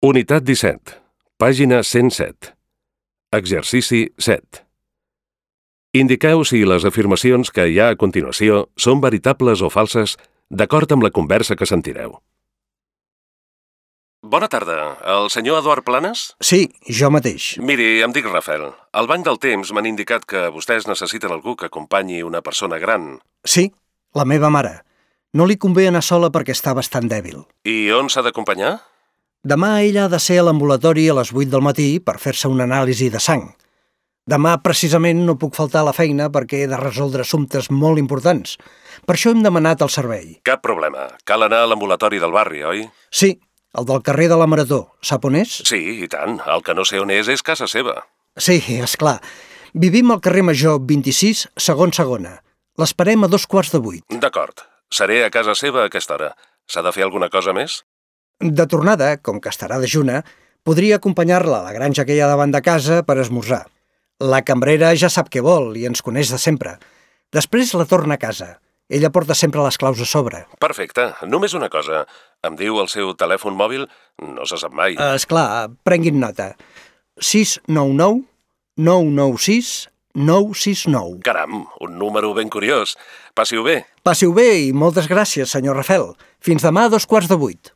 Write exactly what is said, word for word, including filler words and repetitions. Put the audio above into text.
Unitat disset, pàgina cent set. Exercici set. Indiqueu si les afirmacions que hi ha a continuació són veritables o falses d'acord amb la conversa que sentireu. Bona tarda. El senyor Eduard Planes? Sí, jo mateix. Miri, em dic Rafael. Al Banc del Temps m'han indicat que vostès necessiten algú que acompanyi una persona gran. Sí, la meva mare. No li convé anar sola perquè està bastant dèbil. I on s'ha d'acompanyar? Demà ella ha de ser a l'ambulatori a les vuit del matí per fer-se una anàlisi de sang. Demà, precisament, no puc faltar a la feina perquè he de resoldre assumptes molt importants. Per això hem demanat el servei. Cap problema. Cal anar a l'ambulatori del barri, oi? Sí, el del carrer de la Marató. Sap on és? Sí, i tant. El que no sé on és és casa seva. Sí, és clar. Vivim al carrer Major vint-i-sis, segon segona. L'esperem a dos quarts de vuit. D'acord. Seré a casa seva a aquesta hora. S'ha de fer alguna cosa més? De tornada, com que estarà dejuna, podria acompanyar-la a la granja que hi ha davant de casa per esmorzar. La cambrera ja sap què vol i ens coneix de sempre. Després la torna a casa. Ella porta sempre les claus a sobre. Perfecte. Només una cosa. Em diu el seu telèfon mòbil? No se sap mai. Uh, esclar, prenguin nota. sis nou nou nou nou sis nou sis nou. Caram, un número ben curiós. Passi-ho bé. Passi-ho bé i moltes gràcies, senyor Rafael. Fins demà a dos quarts de vuit.